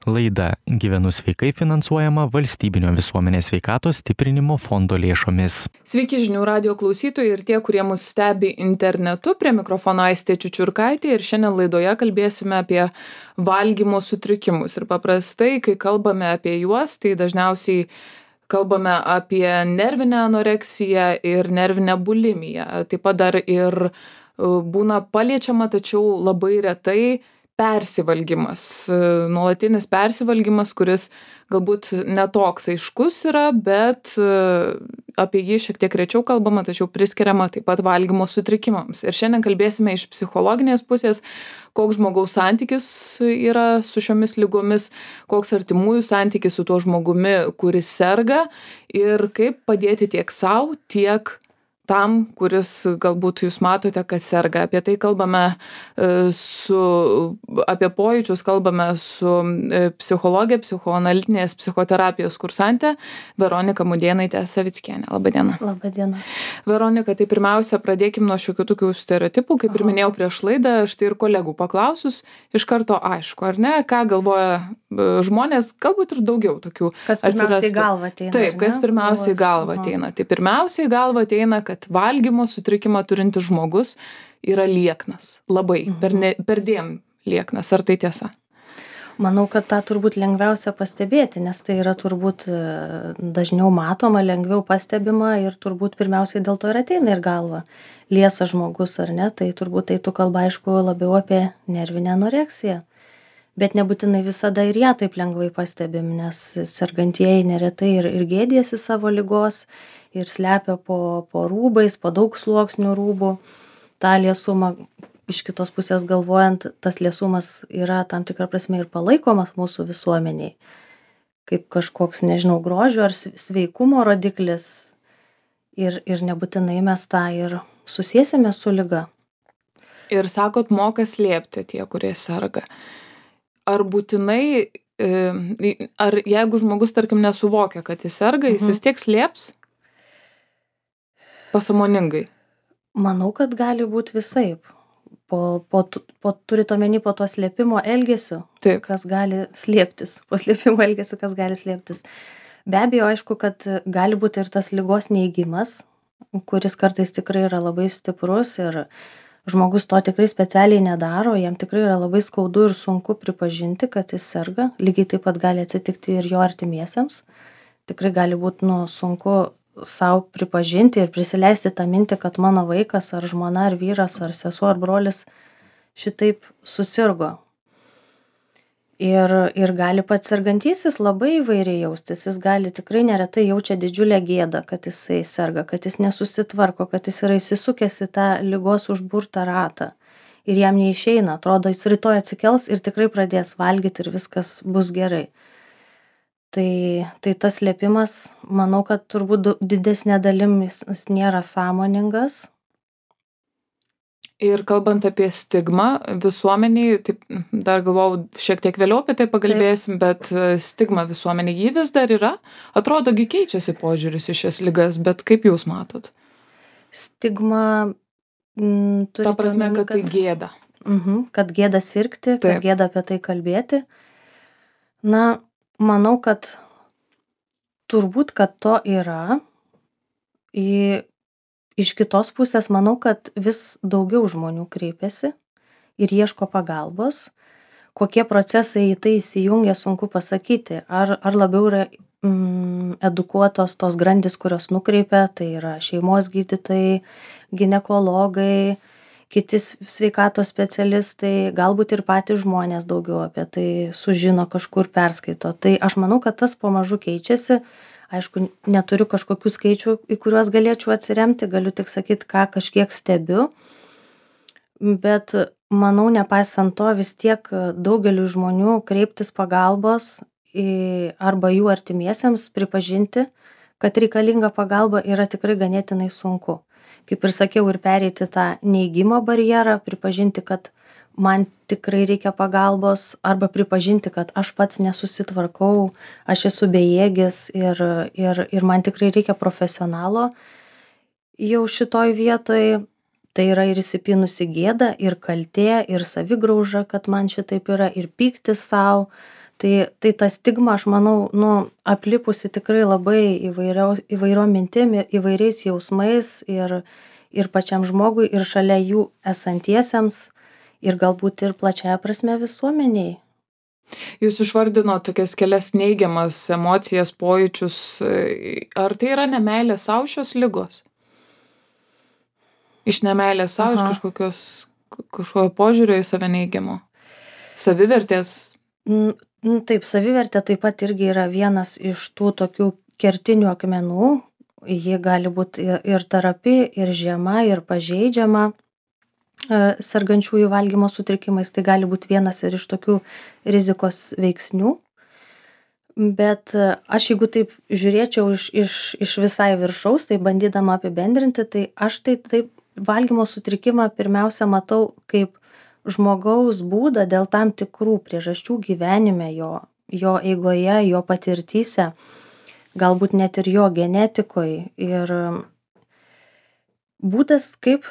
Laida Gyvenu sveikai finansuojama Valstybinio visuomenės sveikatos stiprinimo fondo lėšomis. Sveiki žinių radijo klausytojai ir tie, kurie mus stebi internetu. Prie mikrofono Aistė Čiučiurkaitė ir šiandien laidoje kalbėsime apie valgymo sutrikimus. Ir paprastai, kai kalbame apie juos, tai dažniausiai kalbame apie nervinę anoreksiją ir nervinę bulimiją. Taip pat dar ir būna paliečiama, tačiau labai retai persivalgymas, nuolatinis persivalgymas, kuris galbūt netoks aiškus yra, bet apie jį šiek tiek rečiau kalbama, tačiau priskiriama taip pat valgymo sutrikimams. Ir šiandien kalbėsime iš psichologinės pusės, koks žmogaus santykis yra su šiomis ligomis, koks artimųjų santykis su tuo žmogumi, kuris serga ir kaip padėti tiek sau, tiek tam, kuris galbūt jūs matote, kad serga. Apie tai kalbame apie pojūčius kalbame su psichologė, psichoanalitinės psichoterapijos kursantė Veronika Mudėnaitė Savickienė. Labadiena. Labadiena. Veronika, tai pirmiausia, pradėkim nuo šiokių tokių stereotipų. Kaip ir minėjau prieš laidą, štai ir kolegų paklausus, iš karto aišku, ar ne, ką galvoja žmonės, galbūt ir daugiau tokių. Kas pirmiausiai į galvą ateina? Taip, kas pirmiausiai į galvą ateina. Tai pirmiausiai į galvą ateina, kad valgymo sutrikimą turintis žmogus yra lieknas. Labai, perdėm lieknas. Ar tai tiesa? Manau, kad tą turbūt lengviausia pastebėti, nes tai yra turbūt dažniau matoma, lengviau pastebima ir turbūt pirmiausiai dėl to ir ateina ir galva. Liesas žmogus ar ne, tai turbūt tai tu kalba aišku labiau apie nervinę anoreksiją. Bet nebūtinai visada ir ją taip lengvai pastebim, nes sergantieji neretai ir gėdėsi savo ligos ir slepia po rūbais, po daug sluoksnių rūbų. Ta liesumą iš kitos pusės galvojant, tas liesumas yra tam tikrą prasme ir palaikomas mūsų visuomeniai, kaip kažkoks, nežinau, grožio ar sveikumo rodiklis ir nebūtinai mes tą ir susiesime su liga. Ir sakot, moka slėpti tie, kurie serga. Ar būtinai, ar jeigu žmogus, tarkim, nesuvokia, kad jis serga, jis vis tiek slėps pasąmoningai? Manau, kad gali būti visaip. Turit omeny po to slėpimo elgesiu, Taip. Kas gali slėptis, po slėpimo elgesiu, kas gali slėptis. Be abejo, aišku, kad gali būti ir tas ligos neigimas, kuris kartais tikrai yra labai stiprus ir žmogus to tikrai specialiai nedaro, jam tikrai yra labai skaudu ir sunku pripažinti, kad jis serga. Lygiai taip pat gali atsitikti ir jo artimiesiems. Tikrai gali būti sunku sau pripažinti ir prisileisti tą mintį, kad mano vaikas ar žmona ar vyras ar sesuo ar brolis šitaip susirgo. Ir gali pats sergantysis labai įvairiai jaustis. Jis gali tikrai neretai jaučia didžiulę gėdą, kad jisai serga, kad jis nesusitvarko, kad jis yra įsisukęs į tą ligos užburtą ratą. Ir jam neišeina, atrodo, jis rytoj atsikels ir tikrai pradės valgyti ir viskas bus gerai. Tai tas slėpimas, manau, kad turbūt didesnė dalim jis nėra sąmoningas. Ir kalbant apie stigmą visuomeniai, taip dar galvojau, šiek tiek vėliau apie tai pakalbėsim, bet stigma visuomeniai jį vis dar yra. Atrodogi keičiasi požiūris į šias ligas, bet kaip jūs matot? Stigma Ta prasme, kad tai gėda. Kad gėda sirgti, kad gėda apie tai kalbėti. Na, manau, kad turbūt, kad to yra. Iš kitos pusės manau, kad vis daugiau žmonių kreipiasi ir ieško pagalbos. Kokie procesai į tai įsijungia, sunku pasakyti. Ar labiau yra edukuotos tos grandys, kurios nukreipia, tai yra šeimos gydytojai, ginekologai, kiti sveikatos specialistai, galbūt ir patys žmonės daugiau apie tai sužino, kažkur perskaito. Tai aš manau, kad tas pamažu keičiasi. Aišku, neturiu kažkokių skaičių, į kuriuos galėčiau atsiremti, galiu tik sakyti, ką kažkiek stebiu. Bet manau, nepaisant to, vis tiek daugeliu žmonių kreiptis pagalbos arba jų artimiesiems pripažinti, kad reikalinga pagalba yra tikrai ganėtinai sunku. Kaip ir sakiau, ir pereiti tą neigimo barjerą, pripažinti, kad man tikrai reikia pagalbos arba pripažinti, kad aš pats nesusitvarkau, aš esu bejėgis ir man tikrai reikia profesionalo. Jau šitoj vietoj tai yra ir įsipynusi gėda, ir kaltė, ir savigrauža, kad man šitaip yra, ir pyktis sau. Tai ta stigma, aš manau, aplipusi tikrai labai įvairiom mintim ir įvairiais jausmais ir pačiam žmogui, ir šalia jų esantiesiems, ir galbūt ir plačiąja prasme visuomeniai. Jūs išvardinot tokias kelias neigiamas emocijas, pojūčius. Ar tai yra nemeilė sau šios ligos? Iš nemeilės sau, iš kažkokio požiūrio į save neigiamo? Savivertės? Taip, savivertė taip pat irgi yra vienas iš tų tokių kertinių akmenų. Ji gali būti ir trapi, ir žema, ir pažeidžiama sergančiųjų valgymo sutrikimais. Tai gali būti vienas ir iš tokių rizikos veiksnių. Bet aš jeigu taip žiūrėčiau iš visai viršaus, tai bandydama apibendrinti, tai aš taip valgymo sutrikimą pirmiausia matau kaip žmogaus būdą dėl tam tikrų priežasčių gyvenime, jo eigoje, jo patirtyse, galbūt net ir jo genetikoje. Ir būdas, kaip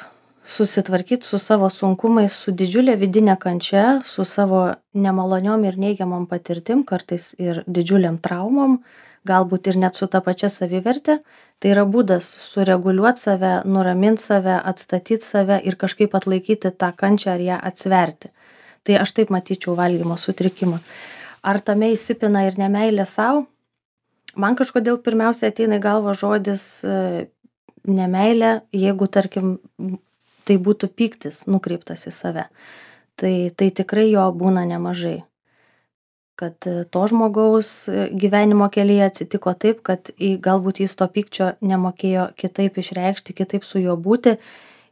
susitvarkyti su savo sunkumais, su didžiulė vidinė kančia, su savo nemaloniom ir neigiamom patirtim, kartais ir didžiuliam traumom, galbūt ir net su ta pačia saviverte. Tai yra būdas sureguliuoti save, nuraminti save, atstatyti save ir kažkaip atlaikyti tą kančią ar ją atsverti. Tai aš taip matyčiau valgymo sutrikimą. Ar tame įsipina ir nemeilė sau? Man kažkodėl pirmiausia ateina į galvą žodis nemeilė, jeigu, tarkim, tai būtų pyktis nukreiptas į save. Tai tikrai jo būna nemažai. Kad to žmogaus gyvenimo kelyje atsitiko taip, kad galbūt jis to pykčio nemokėjo kitaip išreikšti, kitaip su juo būti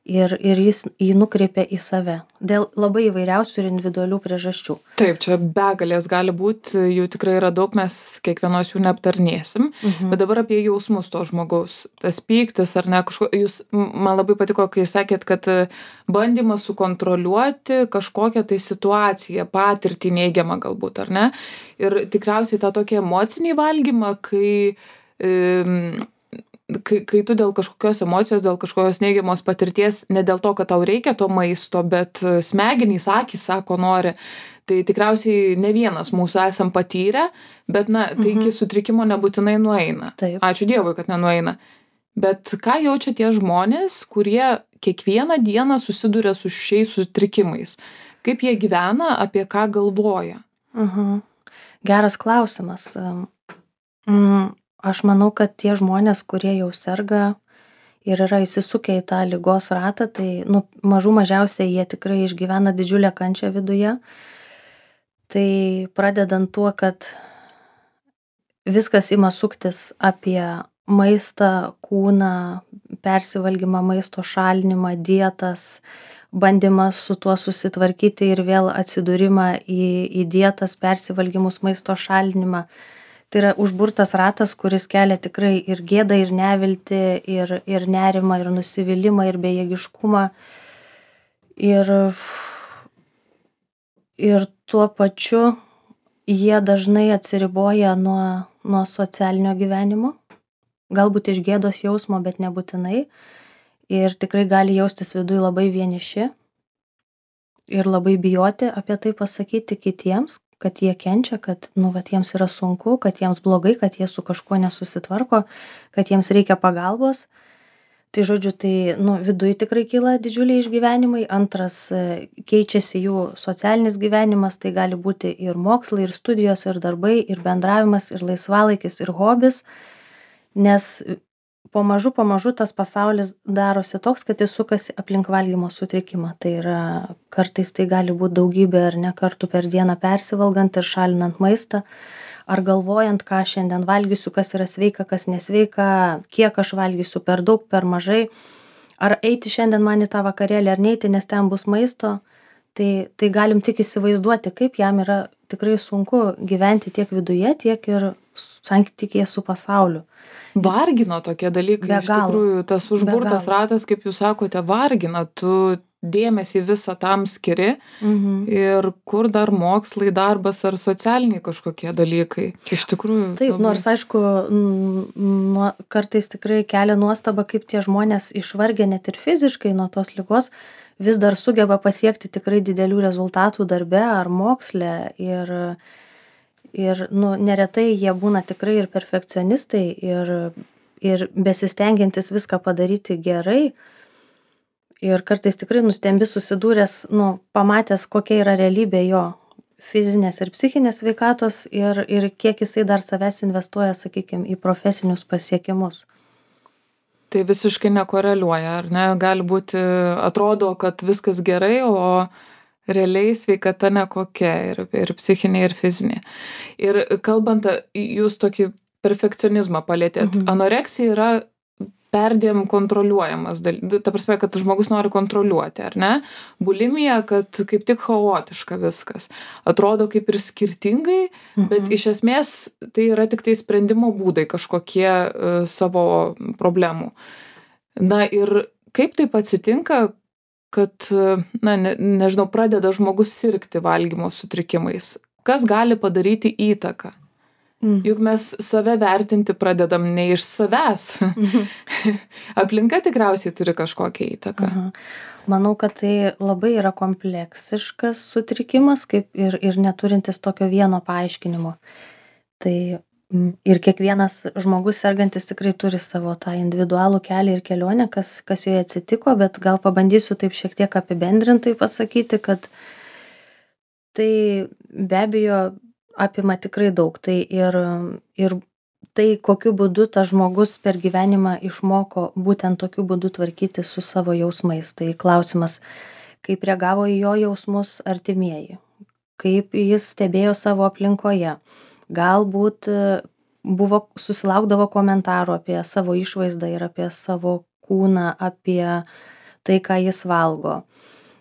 ir jis jį nukreipė į save. Dėl labai įvairiausių ir individualių priežasčių. Taip, čia begalės gali būti, jų tikrai yra daug, mes kiekvienos jų neaptarnėsim. Bet dabar apie jausmus to žmogaus. Tas pyktis ar ne, man labai patiko, kai sakėt, kad bandymas sukontroliuoti kažkokią tai situaciją, patirtį neigiamą galbūt, ar ne? Ir tikriausiai tą tokį emocinį valgymą, kai tu dėl kažkokios emocijos, dėl kažkokios neigiamos patirties, ne dėl to, kad tau reikia to maisto, bet smegenys, akys sako nori, tai tikriausiai ne vienas mūsų esam patyrę, bet tai iki sutrikimo nebūtinai nueina. Taip. Ačiū Dievui, kad nenueina. Bet ką jaučia tie žmonės, kurie kiekvieną dieną susiduria su šiais sutrikimais? Kaip jie gyvena, apie ką galvoja? Geras klausimas. Aš manau, kad tie žmonės, kurie jau serga ir yra įsisukę į tą ligos ratą, tai mažų mažiausiai jie tikrai išgyvena didžiulę kančią viduje. Tai pradedant tuo, kad viskas ima suktis apie maistą, kūną, persivalgymą, maisto šalinimą, dietas, bandymas su tuo susitvarkyti ir vėl atsidūrimą į dietas, persivalgymus, maisto šalinimą. Tai yra užburtas ratas, kuris kelia tikrai ir gėdą, ir neviltį, ir nerimą, ir nusivylimą, ir bejėgiškumą. Ir tuo pačiu jie dažnai atsiriboja nuo socialinio gyvenimo. Galbūt iš gėdos jausmo, bet nebūtinai. Ir tikrai gali jaustis viduj labai vieniši. Ir labai bijoti apie tai pasakyti kitiems, kad jie kenčia, kad jiems yra sunku, kad jiems blogai, kad jie su kažkuo nesusitvarko, kad jiems reikia pagalbos. Tai žodžiu, viduj tikrai kyla didžiuliai išgyvenimai. Antras, keičiasi jų socialinis gyvenimas, tai gali būti ir mokslai, ir studijos, ir darbai, ir bendravimas, ir laisvalaikis, ir hobis. Nes pamažu tas pasaulis darosi toks, kad jis sukasi aplink valgymo sutrikimą. Tai yra, kartais tai gali būti daugybė ar ne kartų per dieną persivalgant ir šalinant maistą, ar galvojant, ką šiandien valgysiu, kas yra sveika, kas nesveika, kiek aš valgysiu, per daug, per mažai, ar eiti šiandien man į tą vakarėlį, ar neiti, nes ten bus maisto. Tai galim tik įsivaizduoti, kaip jam yra tikrai sunku gyventi tiek viduje, tiek ir santykėje su pasauliu. Vargina tokie dalykai, iš tikrųjų, tas užburtas ratas, kaip jūs sakote, vargina, tu dėmesį visą tam skiri ir kur dar mokslai, darbas ar socialiniai kažkokie dalykai. Iš tikrųjų. Taip, nors aišku, kartais tikrai kelia nuostaba, kaip tie žmonės išvargę net ir fiziškai nuo tos ligos vis dar sugeba pasiekti tikrai didelių rezultatų darbe ar moksle. nu, neretai jie būna tikrai ir perfekcionistai, ir besistengiantis viską padaryti gerai. Ir kartais tikrai nustembi susidūręs, nu, pamatęs, kokia yra realybė jo fizinės ir psichinės sveikatos ir kiek jisai dar savęs investuoja, sakykime, į profesinius pasiekimus. Tai visiškai nekoreliuoja, ar ne? Gali būti, atrodo, kad viskas gerai, o realiai sveikata nekokia ir psichinė, ir fizinė. Ir kalbant, jūs tokį perfekcionizmą palėtėt. Anoreksija yra perdėm kontroliuojamas, ta prasme, kad žmogus nori kontroliuoti, ar ne? Bulimija, kad kaip tik chaotiška viskas. Atrodo kaip ir skirtingai, bet iš esmės tai yra tik tai sprendimo būdai kažkokie savo problemų. Na ir kaip taip atsitinka, kad, na, nežinau, pradeda žmogus sirgti valgymo sutrikimais? Kas gali padaryti įtaką? Juk mes save vertinti pradedam ne iš savęs. Aplinka tikriausiai turi kažkokią įtaką. Manau, kad tai labai yra kompleksiškas sutrikimas, kaip ir neturintis tokio vieno paaiškinimo. Tai ir kiekvienas žmogus sergantis tikrai turi savo tą individualų kelią ir kelionę, kas joje atsitiko, bet gal pabandysiu taip šiek tiek apibendrintai pasakyti, kad tai be abejo apima tikrai daug. Tai ir tai, kokiu būdu tas žmogus per gyvenimą išmoko būtent tokiu būdu tvarkyti su savo jausmais. Tai klausimas, kaip reagavo į jo jausmus artimieji, kaip jis stebėjo savo aplinkoje. Galbūt susilaukdavo komentarų apie savo išvaizdą ir apie savo kūną, apie tai, ką jis valgo.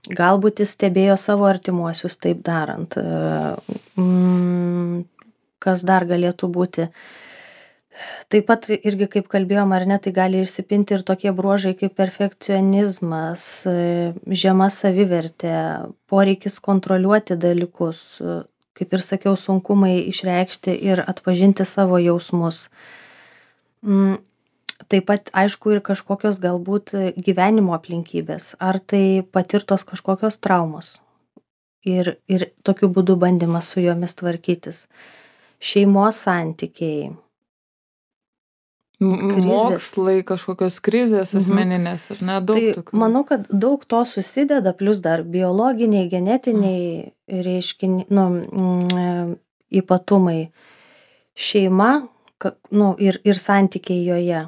Galbūt jis stebėjo savo artimuosius taip darant. Kas dar galėtų būti? Taip pat irgi, kaip kalbėjom, ar ne, tai gali išsipinti ir tokie bruožai kaip perfekcionizmas, žema savivertė, poreikis kontroliuoti dalykus, kaip ir sakiau, sunkumai išreikšti ir atpažinti savo jausmus. Taip pat, aišku, ir kažkokios galbūt gyvenimo aplinkybės, ar tai patirtos kažkokios traumos ir tokiu būdu bandymas su jomis tvarkytis. Šeimos santykiai. Mokslai, kažkokios krizės asmeninės, ar ne? Daug tai tokių. Manau, kad daug to susideda, plus dar biologiniai, genetiniai ypatumai. Šeima, ir santykiai joje.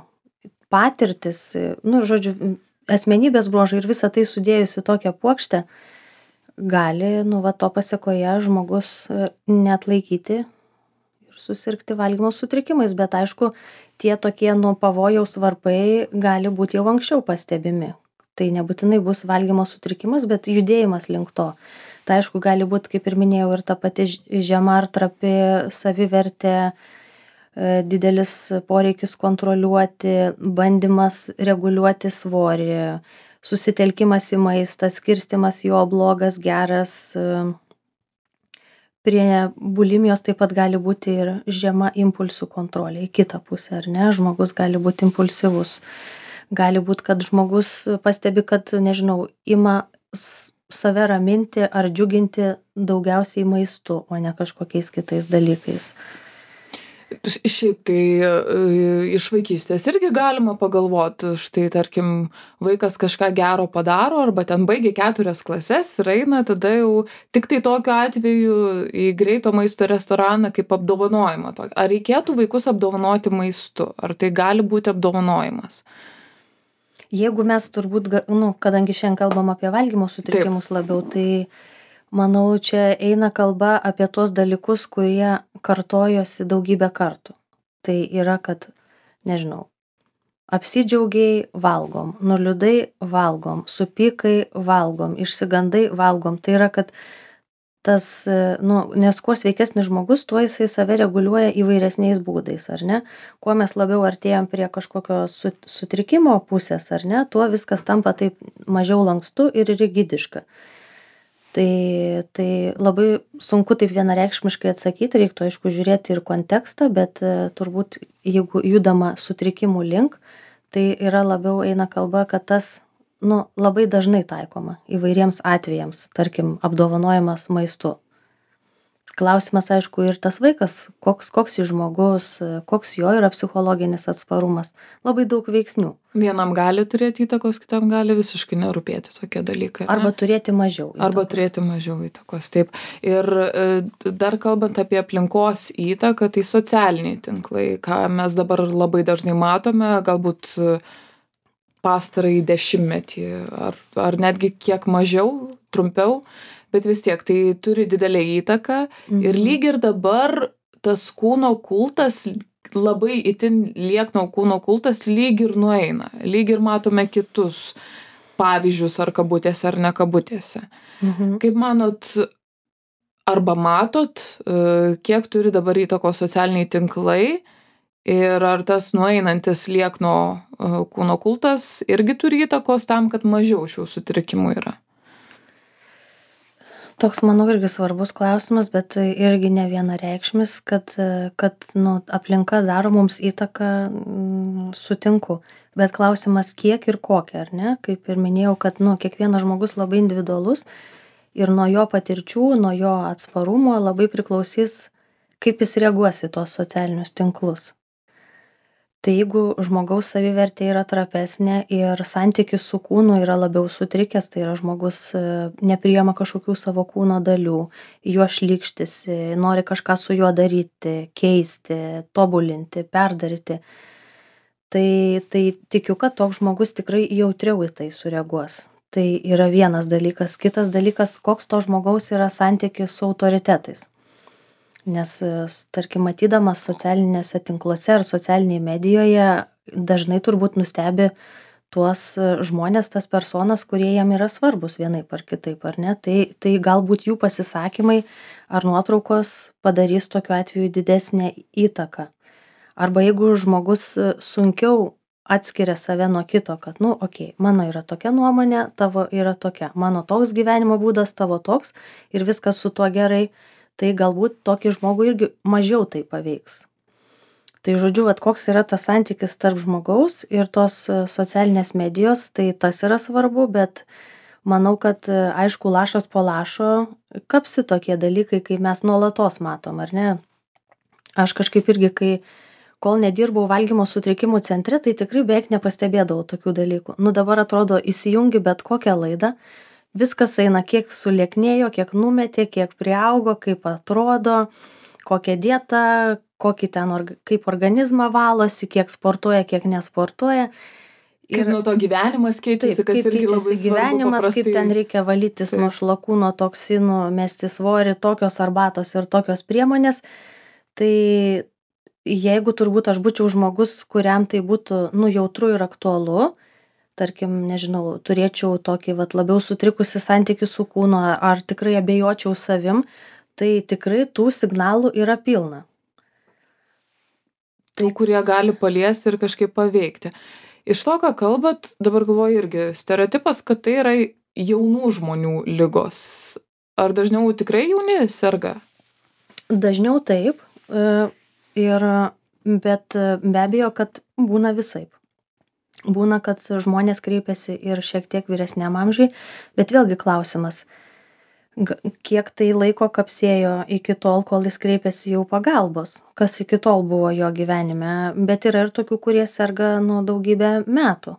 Patirtis, žodžiu, asmenybės bruožai ir visą tai sudėjus į tokią puokštę, gali, to pasekoje žmogus neatlaikyti ir susirgti valgymo sutrikimais, bet aišku, tie tokie pavojaus varpai gali būti jau anksčiau pastebimi. Tai nebūtinai bus valgymo sutrikimas, bet judėjimas link to. Tai aišku, gali būti, kaip ir minėjau, ir ta pati žema ar trapi savivertė, didelis poreikis kontroliuoti, bandymas reguliuoti svorį, susitelkimas į maistą, skirstimas jo blogas, geras. Prie bulimijos taip pat gali būti ir žema impulsų kontrolė į kitą pusę, ar ne? Žmogus gali būti impulsyvus. Gali būti, kad žmogus pastebi, kad, nežinau, ima save raminti ar džiuginti daugiausiai maistu, o ne kažkokiais kitais dalykais. Šiaip tai iš vaikystės irgi galima pagalvoti, štai tarkim vaikas kažką gero padaro arba ten baigia 4 klases ir eina tada jau tik tai tokiu atveju į greito maisto restoraną kaip apdovanojimą. Ar reikėtų vaikus apdovanoti maistu? Ar tai gali būti apdovanojimas? Jeigu mes turbūt, kadangi šiandien kalbam apie valgymo sutrikimus labiau, tai manau, čia eina kalba apie tuos dalykus, kurie kartojosi daugybę kartų. Tai yra, kad, nežinau, apsidžiaugiai valgom, nuliūdai valgom, supykai valgom, išsigandai valgom. Tai yra, kad tas, nes kuo sveikesnis žmogus, tuo jisai save reguliuoja įvairesniais būdais, ar ne? Kuo mes labiau artėjam prie kažkokio sutrikimo pusės, ar ne, tuo viskas tampa taip mažiau lankstu ir rigidiška. Tai labai sunku taip vienareikšmiškai atsakyti, reiktų aišku žiūrėti ir kontekstą, bet turbūt jeigu judama sutrikimų link, tai yra labiau eina kalba, kad tas labai dažnai taikoma įvairiems atvejams, tarkim, apdovanojimas maistu. Klausimas, aišku, ir tas vaikas, koks jis žmogus, koks jo yra psichologinis atsparumas. Labai daug veiksnių. Vienam gali turėti įtakos, kitam gali visiškai nerūpėti tokie dalykai. Arba turėti mažiau įtakos. Arba turėti mažiau įtakos, taip. Ir dar kalbant apie aplinkos įtaką, tai socialiniai tinklai, ką mes dabar labai dažnai matome, galbūt pastarąjį 10-metį ar netgi kiek mažiau, trumpiau, bet vis tiek tai turi didelę įtaką ir lyg ir dabar tas kūno kultas, labai itin liekno kūno kultas lyg ir nueina, lyg ir matome kitus pavyzdžius ar kabutėse ar ne kabutėse. Kaip manot, arba matot, kiek turi dabar įtakos socialiniai tinklai ir ar tas nueinantis liekno kūno kultas irgi turi įtakos tam, kad mažiau šių sutrikimų yra? Toks, manau, irgi svarbus klausimas, bet irgi ne vienareikšmis, kad aplinka daro mums įtaką, sutinku. Bet klausimas kiek ir kokia, ar ne? Kaip ir minėjau, kad kiekvienas žmogus labai individualus ir nuo jo patirčių, nuo jo atsparumo labai priklausys, kaip jis reaguos į tuos socialinius tinklus. Tai jeigu žmogaus savivertė yra trapesnė ir santykis su kūnu yra labiau sutrikęs, tai yra žmogus nepriima kažkokių savo kūno dalių, juo šlykštisi, nori kažką su juo daryti, keisti, tobulinti, perdaryti, tai tikiu, kad toks žmogus tikrai jautriau į tai sureaguos. Tai yra vienas dalykas. Kitas dalykas, koks to žmogaus yra santykis su autoritetais. Nes, tarkim, matydamas socialinėse tinkluose ar socialinėje medijoje, dažnai turbūt nustebi tuos žmonės, tas personas, kurie jam yra svarbus vienaip ar kitaip, ar ne? Tai galbūt jų pasisakymai ar nuotraukos padarys tokiu atveju didesnę įtaką. Arba jeigu žmogus sunkiau atskiria save nuo kito, kad, mano yra tokia nuomonė, tavo yra tokia, mano toks gyvenimo būdas, tavo toks ir viskas su tuo gerai, tai galbūt tokį žmogų irgi mažiau tai paveiks. Tai žodžiu, koks yra tas santykis tarp žmogaus ir tos socialinės medijos, tai tas yra svarbu, bet manau, kad aišku, lašas po lašo kapsi tokie dalykai, kai mes nuolatos matom, ar ne? Aš kažkaip irgi, kol nedirbau valgymo sutrikimų centre, tai tikrai beveik nepastebėdavau tokių dalykų. Dabar atrodo, įsijungi bet kokią laidą, viskas eina, kiek sulieknėjo, kiek numetė, kiek priaugo, kaip atrodo, kokia dieta, kaip organizmą valosi, kiek sportuoja, kiek nesportuoja. Kaip nuo to gyvenimas keičiasi, kas irgi labai svarbu. Gyvenimas, paprastai... kaip ten reikia valytis nuo šlakūno toksinų, mesti svorį, tokios arbatos ir tokios priemonės. Tai jeigu turbūt aš būčiau žmogus, kuriam tai būtų jautru ir aktualu, tarkim, nežinau, turėčiau tokį labiau sutrikusi santykį su kūnu, ar tikrai abejočiau savim, tai tikrai tų signalų yra pilna. Tų, kurie gali paliesti ir kažkaip paveikti. Iš to, ką kalbat, dabar galvoju irgi stereotipas, kad tai yra jaunų žmonių ligos. Ar dažniau tikrai jauni serga? Dažniau taip, bet be abejo, kad būna visaip. Būna, kad žmonės kreipiasi ir šiek tiek vyresniam amžiui, bet vėlgi klausimas, kiek tai laiko kapsėjo iki tol, kol jis kreipiasi jau pagalbos, kas iki tol buvo jo gyvenime, bet yra ir tokių, kurie serga daugybę metų.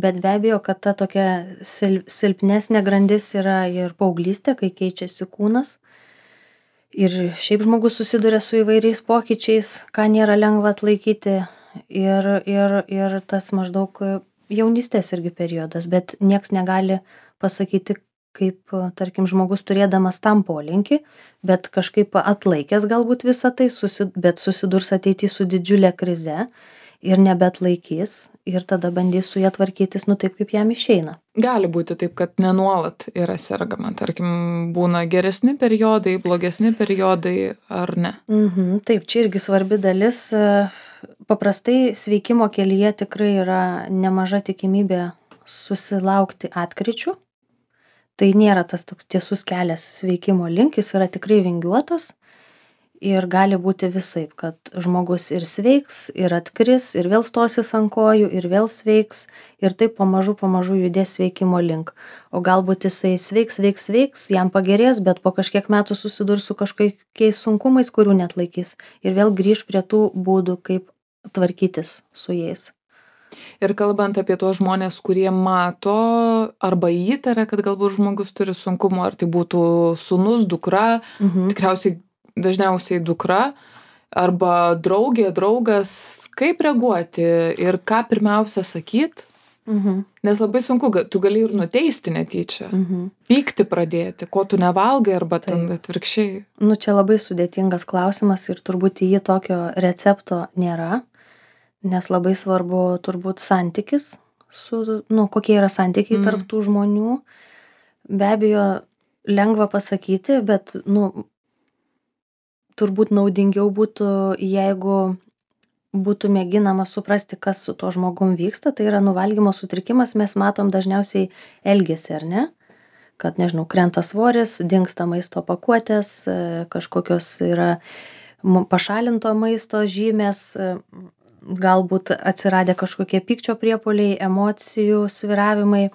Bet be abejo, kad ta tokia silpnesnė grandis yra ir paauglystė, kai keičiasi kūnas. Ir šiaip žmogus susiduria su įvairiais pokyčiais, ką nėra lengva atlaikyti. Ir tas maždaug jaunystės irgi periodas, bet nieks negali pasakyti, kaip, tarkim, žmogus turėdamas tam polinkį, bet kažkaip atlaikęs galbūt visą tai, bet susidurs ateity su didžiulė krize ir nebeatlaikys ir tada bandys su ja tvarkytis, taip kaip jam išeina. Gali būti taip, kad nenuolat yra sergama, tarkim, būna geresni periodai, blogesni periodai, ar ne? Taip, čia irgi svarbi dalis. Paprastai sveikimo kelyje tikrai yra nemaža tikimybė susilaukti atkryčių. Tai nėra tas toks tiesus kelias sveikimo link, jis yra tikrai vingiuotas. Ir gali būti visaip, kad žmogus ir sveiks, ir atkris, ir vėl stosis ant kojų, ir vėl sveiks, ir taip pamažu judės sveikimo link. O galbūt jisai sveiks, jam pagerės, bet po kažkiek metų susidurs su kažkokiais sunkumais, kurių neatlaikys. Ir vėl grįž prie tų būdų, kaip tvarkytis su jais. Ir kalbant apie tuos žmonės, kurie mato arba įtaria, kad galbūt žmogus turi sunkumų, ar tai būtų sūnus, dukra, tikriausiai dažniausiai dukra, arba draugė, draugas, kaip reaguoti ir ką pirmiausia sakyt? Nes labai sunku, tu gali ir nuteisti netyčia, pykti pradėti, ko tu nevalgai, arba ten atvirkščiai. Nu, čia labai sudėtingas klausimas ir turbūt į jį tokio recepto nėra. Nes labai svarbu turbūt santykis kokie yra santykiai tarp tų žmonių. Be abejo, lengva pasakyti, bet, turbūt naudingiau būtų, jeigu būtų mėginama suprasti, kas su tuo žmogum vyksta. Tai yra valgymo sutrikimas, mes matom dažniausiai elgesį, ar ne? Kad, nežinau, krenta svoris, dingsta maisto pakuotės, kažkokios yra pašalinto maisto žymės, galbūt atsiradę kažkokie pykčio priepuoliai, emocijų svyravimai.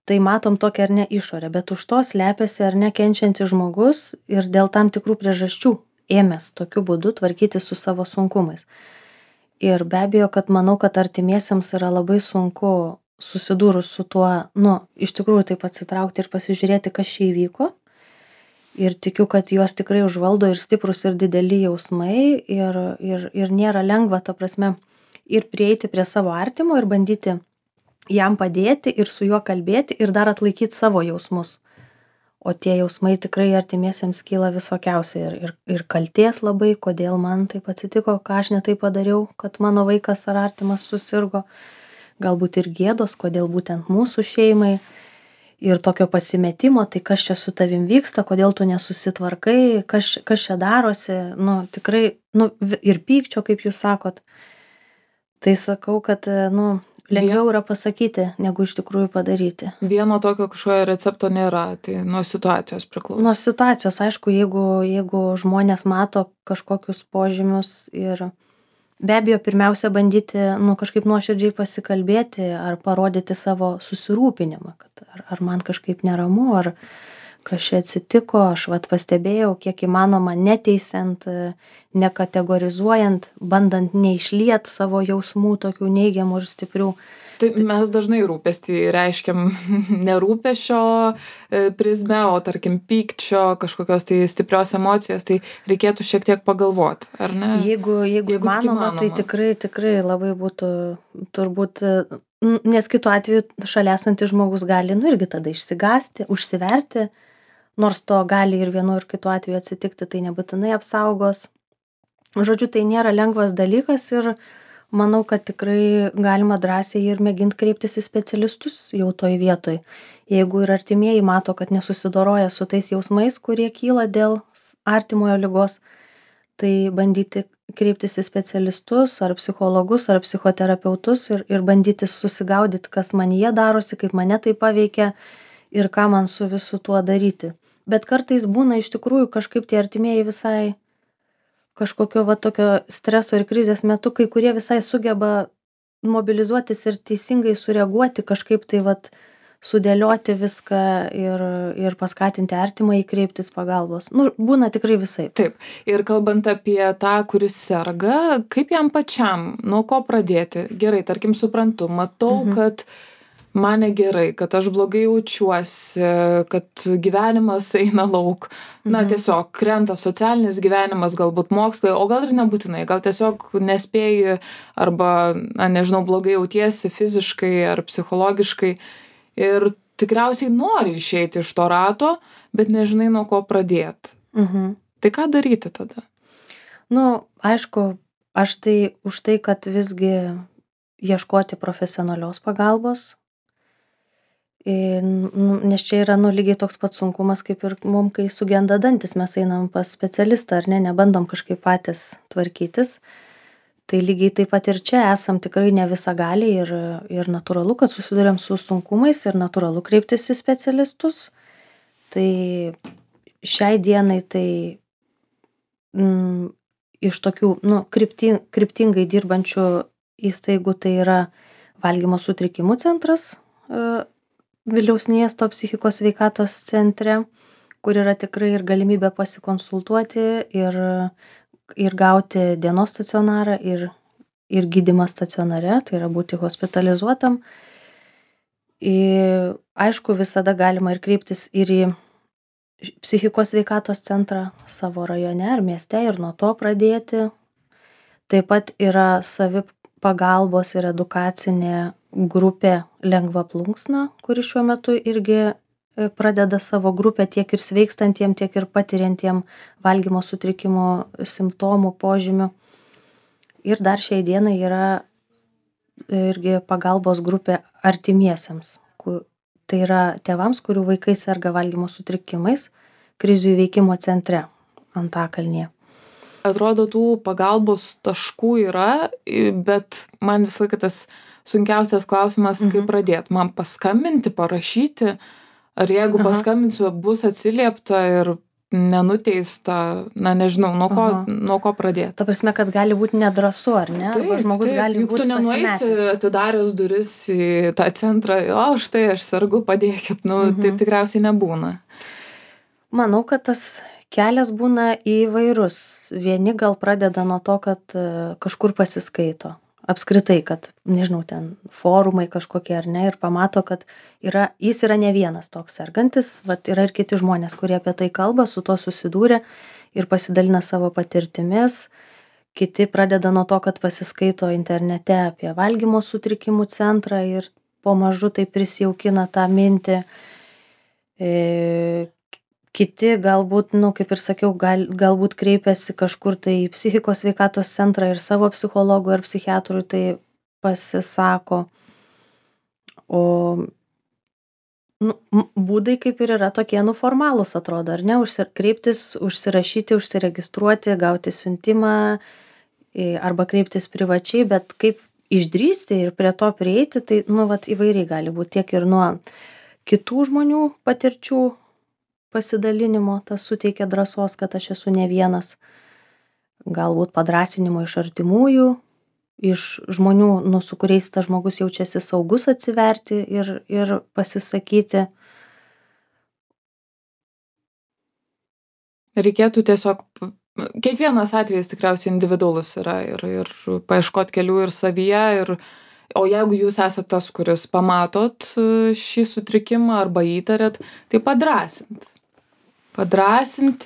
Tai matom tokią ar ne išorę, bet už to slepiasi ar ne kenčiantis žmogus ir dėl tam tikrų priežasčių ėmęs tokiu būdu tvarkyti su savo sunkumais. Ir be abejo, kad manau, kad artimiesiems yra labai sunku susidūrus su tuo, iš tikrųjų taip atsitraukti ir pasižiūrėti, kas čia įvyko. Ir tikiu, kad juos tikrai užvaldo ir stiprus ir dideli jausmai ir nėra lengva, ta prasme, ir prieiti prie savo artimo ir bandyti jam padėti ir su juo kalbėti ir dar atlaikyti savo jausmus. O tie jausmai tikrai artimiesiems kyla visokiausiai ir kaltės labai, kodėl man taip atsitiko, ką aš ne taip padariau, kad mano vaikas ar artimas susirgo. Galbūt ir gėdos, kodėl būtent mūsų šeimai. Ir tokio pasimetimo, tai kas čia su tavim vyksta, kodėl tu nesusitvarkai, kas čia darosi, tikrai, ir pykčio, kaip jūs sakot. Tai sakau, kad, lengviau yra pasakyti, negu iš tikrųjų padaryti. Vieno tokio kažkokio recepto nėra, tai nuo situacijos priklauso. Nuo situacijos, aišku, jeigu žmonės mato kažkokius požymius ir be abejo, pirmiausia bandyti, kažkaip nuoširdžiai pasikalbėti ar parodyti savo susirūpinimą, kad ar man kažkaip neramu, ar kas čia atsitiko, aš pastebėjau, kiek įmanoma neteisiant, nekategorizuojant, bandant neišliet savo jausmų tokių neigiamų ir stiprių. Tai mes dažnai rūpestį reiškiam nerūpesčio prizmę, o tarkim pykčio, kažkokios tai stiprios emocijos, tai reikėtų šiek tiek pagalvoti, ar ne? Jeigu įmanoma, tai tikrai labai būtų turbūt, nes kitu atveju šalia esantis žmogus gali, irgi tada išsigąsti, užsiverti, nors to gali ir vienu ir kitu atveju atsitikti, tai nebūtinai apsaugos. Žodžiu, tai nėra lengvas dalykas ir manau, kad tikrai galima drąsiai ir mėginti kreiptis į specialistus jau toj vietoj. Jeigu ir artimieji mato, kad nesusidoroja su tais jausmais, kurie kyla dėl artimojo ligos, tai bandyti kreiptis į specialistus, ar psichologus, ar psichoterapeutus ir bandyti susigaudyti, kas manyje darosi, kaip mane tai paveikia ir ką man su visu tuo daryti. Bet kartais būna iš tikrųjų kažkaip tie artimieji visai kažkokio tokio streso ir krizės metu, kai kurie visai sugeba mobilizuotis ir teisingai sureaguoti, kažkaip tai sudėlioti viską ir paskatinti artimą kreiptis pagalbos. Būna tikrai visai. Taip. Ir kalbant apie tą, kuris serga, kaip jam pačiam, nuo ko pradėti? Gerai, tarkim, suprantu, matau, kad man negerai, kad aš blogai jaučiuosi, kad gyvenimas eina lauk. Tiesiog krenta socialinis gyvenimas, galbūt mokslai, o gal ir nebūtinai, gal tiesiog nespėji arba, nežinau, blogai jautiesi fiziškai ar psichologiškai ir tikriausiai nori išeiti iš to rato, bet nežinai nuo ko pradėti. Tai ką daryti tada? Aišku, aš tai už tai, kad visgi ieškoti profesionalios pagalbos, nes čia yra lygiai toks pats sunkumas, kaip ir mum, kai sugenda dantis, mes einam pas specialistą, ar ne, nebandom kažkaip patys tvarkytis. Tai lygiai taip pat ir čia esam tikrai ne visagaliai ir natūralu, kad susiduriam su sunkumais ir natūralu kreiptis į specialistus. Tai šiai dienai tai iš tokių, kryptingai dirbančių įstaigų tai yra valgymo sutrikimų centras Vilniaus miesto psichikos sveikatos centre, kur yra tikrai ir galimybė pasikonsultuoti ir gauti dienos stacionarą ir gydymą stacionare, tai yra būti hospitalizuotam. Aišku, visada galima ir kreiptis ir į psichikos sveikatos centrą savo rajone ar mieste ir nuo to pradėti. Taip pat yra savipagalbos ir edukacinė grupė Lengva plunksna, kuri šiuo metu irgi pradeda savo grupę tiek ir sveikstantiem, tiek ir patiriantiem valgymo sutrikimo simptomų, požymių. Ir dar šiai dienai yra irgi pagalbos grupė artimiesiems. Tai yra tėvams, kurių vaikai serga valgymo sutrikimais, krizių įveikimo centre Antakalnyje. Atrodo, tų pagalbos taškų yra, bet man visą laiką tas sunkiausias klausimas, kaip pradėti. Man paskambinti, parašyti, ar jeigu paskambinsiu, bus atsiliepta ir nenuteista, nežinau, nuo ko pradėti. Ta prasme, kad gali būti nedrąsu, ar ne? Taip, žmogus gali juk tu nenueisi atidaręs duris į tą centrą, štai aš sergu, padėkit, taip tikriausiai nebūna. Manau, kad tas kelias būna įvairus. Vieni gal pradeda nuo to, kad kažkur pasiskaito. Apskritai, kad, nežinau, ten forumai kažkokie ar ne, ir pamato, kad jis yra ne vienas toks sergantis, yra ir kiti žmonės, kurie apie tai kalba, su to susidūrė ir pasidalina savo patirtimis. Kiti pradeda nuo to, kad pasiskaito internete apie valgymo sutrikimų centrą ir pamažu tai prisijaukina tą mintį. Kiti galbūt, kaip ir sakiau, galbūt kreipiasi kažkur tai į psichikos sveikatos centrą ir savo psichologui ar psichiatrui tai pasisako. O būdai kaip ir yra tokie formalūs, atrodo, ar ne? Kreiptis, užsirašyti, užsiregistruoti, gauti siuntimą arba kreiptis privačiai, bet kaip išdrįsti ir prie to prieiti, tai įvairiai gali būti tiek ir nuo kitų žmonių patirčių pasidalinimo, tas suteikia drąsos, kad aš esu ne vienas. Galbūt padrąsinimo iš artimųjų, iš žmonių, su kuriais tas žmogus jaučiasi saugus atsiverti ir pasisakyti. Reikėtų tiesiog, kiekvienas atvejis tikriausiai individualus yra ir paieškoti kelių ir savyje. O jeigu jūs esate tas, kuris pamatot šį sutrikimą arba įtarėt, tai padrąsinti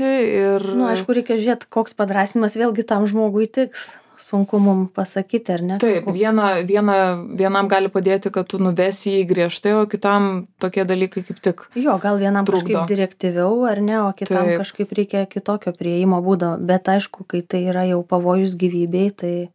ir... Aišku, reikia žiūrėti, koks padrąsinimas vėlgi tam žmogui tiks. Sunku mum pasakyti, ar ne? Taip, vienam gali padėti, kad tu nuvesi jį griežtai, o kitam tokie dalykai kaip tik Jo, gal vienam trukdo. Kažkaip direktyviau, ar ne, o kitam kažkaip reikia kitokio prieimo būdo. Bet aišku, kai tai yra jau pavojus gyvybei, tai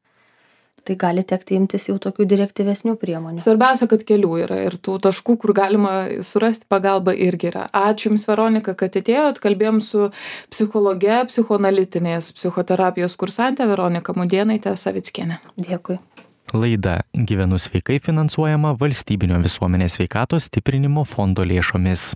gali tekti imtis jau tokių direktyvesnių priemonių. Svarbiausia, kad kelių yra ir tų taškų, kur galima surasti pagalbą irgi yra. Ačiū Jums, Veronika, kad atėjot. Kalbėjom su psichologe, psichoanalitinės psichoterapijos kursante Veronika Mudėnaitė Savickienė. Dėkui. Laida Gyvenu sveikai finansuojama Valstybinio visuomenės sveikatos stiprinimo fondo lėšomis.